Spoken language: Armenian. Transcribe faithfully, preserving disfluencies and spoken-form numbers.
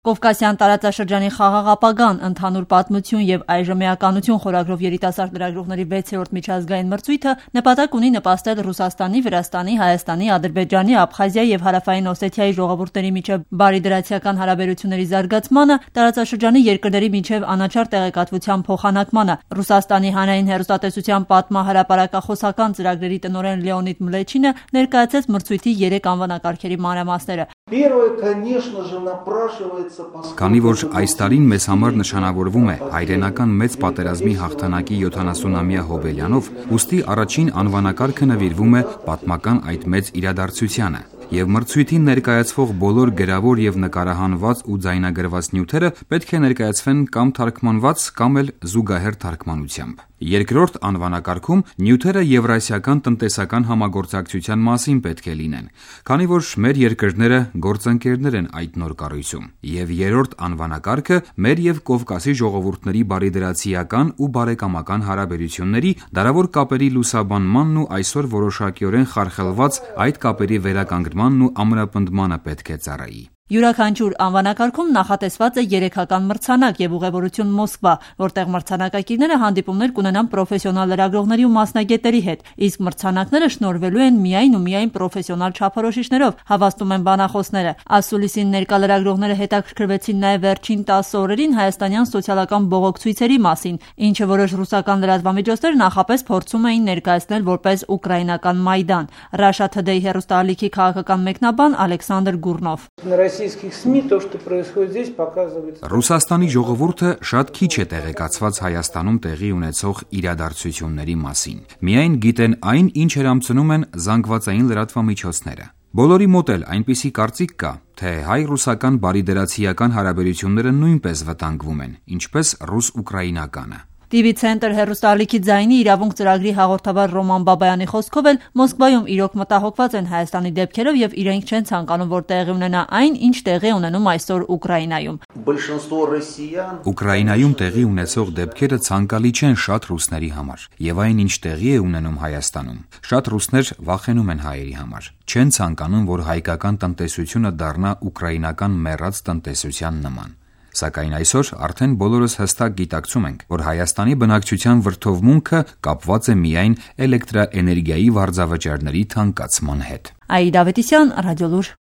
Կովկասյան տարածաշրջանի խաղաղ ապագան, ընդհանուր պատմություն և այժմ էականություն խորագրով երիտասարդ լրագրողների վեցերորդ միջազգային մրցույթը նպատակ ունի նպաստել Ռուսաստանի, Վրաստանի, Հայաստանի, Ադրբեջանի, Աբխազիայի և Հարավային Օսեթիայի ժողովուրդների միջև բարիդրացիական հարաբերությունների զարգացմանը, տարածաշրջանի երկրների միջև անաչառ տեղեկատվության փոխանակմանը։ Ռուսաստանի հանրային հեռուստատեսության պատմահրապարակախոսական ծրագրերի տնօրեն Լեոնիդ Մլեչինը ներկայացրեց մրցույթի երեք անվանակարգերի մանրամասները։ Քանի որ այս տարին մեզ համար նշանավորվում է հայրենական մեծ պատերազմի հաղթանակի յոթանասունամյա հոբելյանով, ուստի առաջին անվանակարգը նվիրվում է պատմական այդ մեծ իրադարձությանը, և մրցույթին ներկայացվող բոլոր գրավոր և նկարահանված ու ձայնագրված նյութերը պետք է ներկայացվեն կամ թարգմանված, կամ էլ զուգահեռ թարգմանությամբ։ Երկրորդ անվանակարգում նյութերը Եվրասիական տնտեսական համագործակցության մասին պետք է լինեն, քանի որ մեր երկրները գործընկերներ են այդ նոր կառույցում, և երրորդ անվանակարգը մեր և Կովկասի ժողովուրդների բարիդրացիական ու բարեկամական հարաբերությունների, դարավոր կապերի լուսաբանմանն ու այսօր որոշակիորեն խարխլված այդ կապերի վերականգնմանն ու ամրապնդմանը պետք է ծառայի։ Յուրաքանչյուր անվանակարգում նախատեսված է երեքական մրցանակ և ուղևորություն Մոսկվա, որտեղ մրցանակակիրները հանդիպումներ կունենան պրոֆեսիոնալ լրագրողների ու մասնագետների հետ, իսկ մրցանակները շնորհվելու են միայն ու միայն պրոֆեսիոնալ չափորոշիչներով, հավաստում են բանախոսները։ Ասուլիսին ներկա լրագրողները հետաքրքրվեցին նաև վերջին տասը օրերին հայաստանյան սոցիալական բողոքցույցերի մասին, ինչը որոշ ռուսական լրատվամիջոցներ նախապես փորձում էին ներկայացնել որպես ուկրաինական Մայդան։ Russia Today հեռուստաալիքի քաղաքական մեկնաբան Ալեքսանդր Գուրնով։ Ռուսաստանի ժողովուրդը շատ քիչ է տեղեկացված Հայաստանում տեղի ունեցող իրադարձությունների մասին։ Միայն գիտեն այն, ինչ հրամցնում են զանգվածային լրատվամիջոցները։ Բոլորի մոտ էլ այնպիսի կարծիք կա, թե հայ-ռուսական բարիդրացիական հարաբերությունները նույնպես վտանգվում են, ինչպես ռուս-ուկրաինականը։ Տի վի Ցենտր հեռուստաալիքի ձայնի իրավունք ծրագրի հաղորդավար Ռոման Բաբայանի խոսքով էլ Մոսկվայում իրոք մտահոգված են Հայաստանի դեպքերով և իրենք չեն ցանկանում, որ տեղի ունենա այն, ինչ տեղի ունենում այսօր Ուկրաինայում։ Ուկրաինայում տեղի ունեցող դեպքերը ցանկալի չեն շատ ռուսների համար, և այն, ինչ տեղի է ունենում Հայաստանում, շատ ռուսներ վախենում են հայերի համար, չեն ցանկանում, որ հայկական տնտեսությունը դառնա ուկրաինական մեռած տնտեսության նման։ Սակայն այսօր արդեն բոլորս հստակ գիտակցում ենք, որ Հայաստանի բնակչության վրդովմունքը կապված է միայն էլեկտրաէներգիայի վարձավճարների թանկացման հետ։ Աիդա Ավետիսյան, Ռադիոլուր։